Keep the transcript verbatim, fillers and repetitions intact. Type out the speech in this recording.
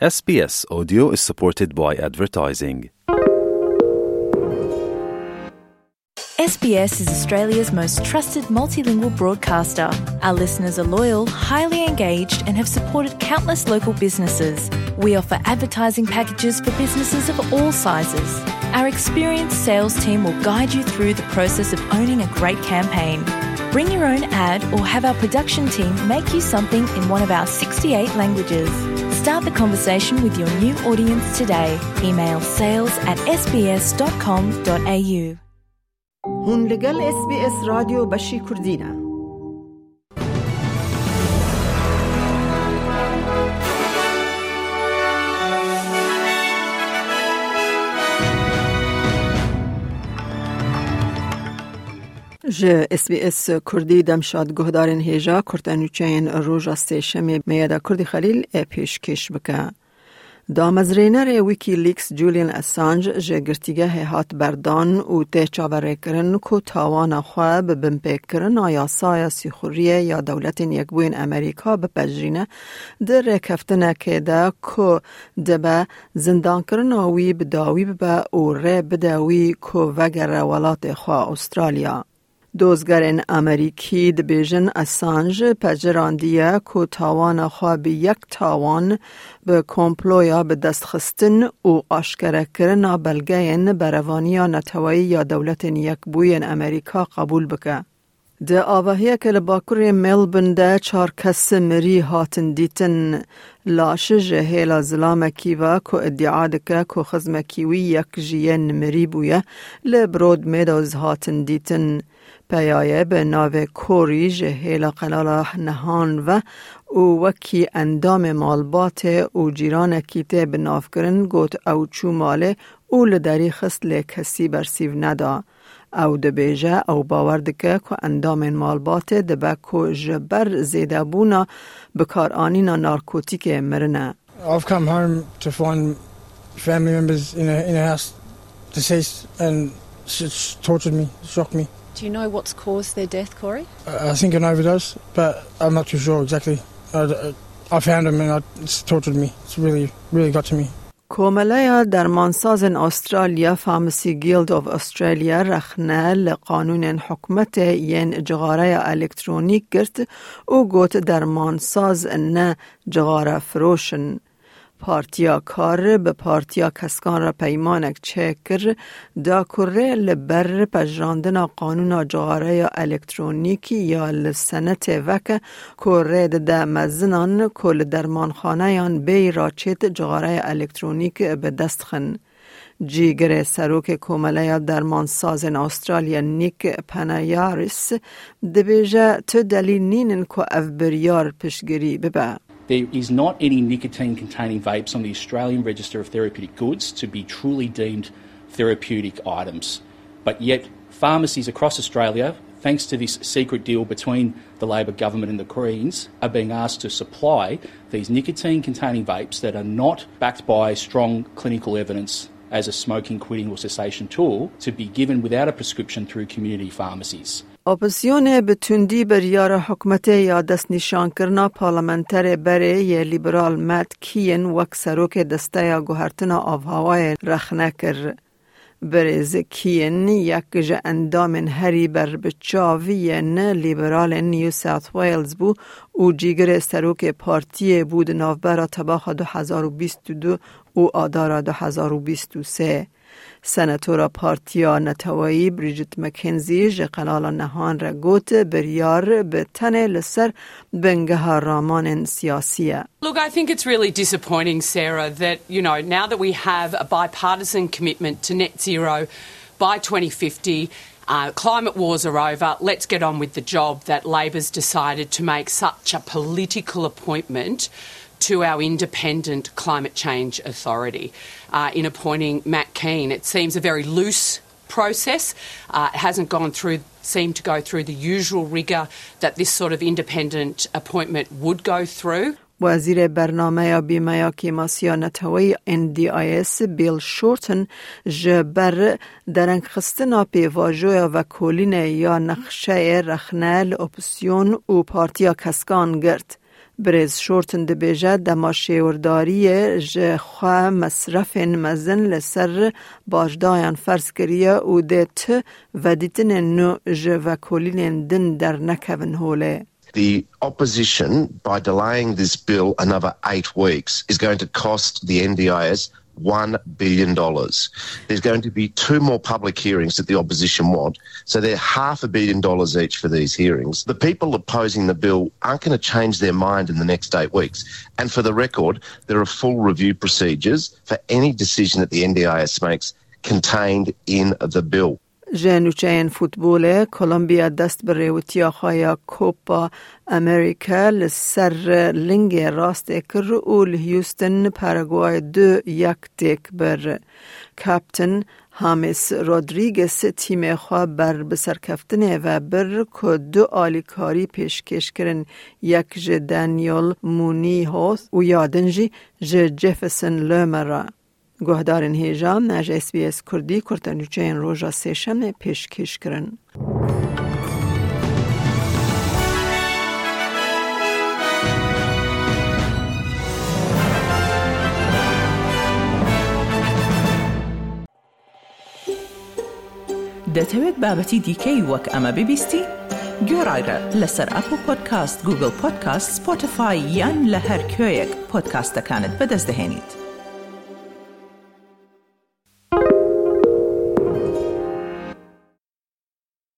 S B S Audio is supported by advertising. S B S is Australia's most trusted multilingual broadcaster. Our listeners are loyal, highly engaged, and have supported countless local businesses. We offer advertising packages for businesses of all sizes. Our experienced sales team will guide you through the process of owning a great campaign. Bring your own ad or have our production team make you something in one of our sixty-eight languages. Start the conversation with your new audience today. Email sales at S B S dot com dot A U. Hûn li gel S B S Radyo Beşî Kurdî ne. Ji S B S Kurdî demşad guhdarên hêja kurte nûçeyên roja sêşemê Meyeda Kurdî Xelîl e pêşkêş bike. Damezrênerê Wikileaks Julian Assange ji girtîgehê hat berdan û tê çaverêkirin ku tawana xwe bi binpêkirina yasaya sîxuriyê ya Dewletên Yekbûyên Amerîka bipejirîne, di rêkeftinekê de ku dibe zindankirina wî bi dawî bibe û rê bide wî ku vegere welatê xwe Australya. Dozgerên Amerîkî dibêjin Assange pecirandiye ku tawana xwe bi yek tawan, bi komploya bi dest xistin û aşkerekirina belgeyên berevaniya neteweyî ya Dewletên Yekbûyên Amerîka qebûl bike. Di avahiyeke li bakurê Melbourne de çar kes mirî hatin dîtin. Laş ji hêla zilamekî ve ku îdia dike ku xizmekî wî yek ji yên mirî bûye, li Broadmeadows hatin dîtin. Peyaye bi navê Corey ji hêla Qenala Nehan ve û wekî endamê malbatê û cîranekî tê binavkirin got ew çû malê û li derî xist lê kesî bersîv neda. Ew dibêje ew bawer dike ku endamên malbatê dibe ku ji ber zêdebûna bikaranîna narkotîkê mirine. I've come home to find family members in a, in a house deceased and it's tortured me, shocked me. Do you know what's caused their death, Corey? I I think an overdose, but I'm not too sure exactly. I, I found them and I, it's tortured me. It's really, really got to me. Komeleya Dermansazên Australya, Pharmacy Guild of Australia, rexne li qanûnên hikûmetê yên cixareya elektronîk girt û got dermansaz ne cixare firoş in. Partiya Kar bi Partiya Keskan re peymanek çêkir, da ku rê li ber pejirandina qanûna cixareya elektronîkî ya li senetê veke ku rê dide mezinan ku li dermanxaneyan bêyî raçêt cixareya elektronîk bi dest xin. Cîgirê serokê Komeleya Dermansazên Australya Nick Panayaris dibêje tu delîl nînin ku ev biryar piştgirî bibe. There is not any nicotine containing vapes on the Australian Register of Therapeutic Goods to be truly deemed therapeutic items. But yet, pharmacies across Australia, thanks to this secret deal between the Labor government and the Greens, are being asked to supply these nicotine containing vapes that are not backed by strong clinical evidence as a smoking, quitting or cessation tool to be given without a prescription through community pharmacies. Opozîsyonê bi tundî biryara hikûmetê ya destnîşankirina parlamenterê berê yê Lîberal Matt Kean wek serokê Desteya Guhertina Avhewayê rexne kir. Birêz Kean yek ji endamên herî berbiçav yên Lîberalên New South Wales bû û cîgirê serokê partiyê bû di navbera tebaxa du hezar û bîst û du û adara du hezar û bîst û sê. Senatora Partiya Neteweyî Bridget McKenzie ji Qenala Nehan re got, biryar bi tenê li ser bingeha ramanên siyasî ye. Look, I think it's really disappointing, Sarah, that, you know, now that we have a bipartisan commitment to net zero by twenty fifty, uh, climate wars are over, let's get on with the job, that Labor's decided to make such a political appointment to our independent climate change authority, uh, in appointing Matt Kean. It seems a very loose process. Uh, it hasn't gone through, seemed to go through the usual rigour that this sort of independent appointment would go through. Wezîrê Bernameya Bîmeya Kêmasiya Neteweyî N D I S Bill Shorten ji ber derengxistina pêvajoya vekolînê ya nexşeyê rexne li opozîsyon û Partiya Keskan girt. Birêz Shorten dibêje, dema şêwirdariyê ji xwe mesrefên mezin li ser bajdayan ferz kiriye û dê ti vedîtinên nû ji vekolînên din dernekevin holê. The opposition, by delaying this bill another eight weeks, is going to cost the N D I S one billion dollars. There's going to be two more public hearings that the opposition want. So they're half a billion dollars each for these hearings. The people opposing the bill aren't going to change their mind in the next eight weeks. And for the record, there are full review procedures for any decision that the N D I S makes contained in the bill. Ji nûçeyên futbolê, Kolombiya dest bi rêwitiya xwe ya Copa America li ser lingê rastê kir û li Houston Paraguay du yek têk bir. Kapten James Rodriguez tîmê xwe ber bi serkeftinê ve bir ku du alîkarî pêşkêş kirin, yek ji Daniel Munoz û ya din jî ji Jefferson Lerma re. Guhdarên hêja, me ji S B S Kurdî kurtenûçeyên roja Sêşemê pêşkêş kirin. دەتەوێت بابەتی دیکەی وەک ئەمە ببیستی؟ گوێڕایرە لەسەر ئەپڵ پۆدکاست، گوگڵ پۆدکاست، سپۆتیفای یان لە هەر کوێیەک پۆدکاستەکانت بەدەست دەهێنیت.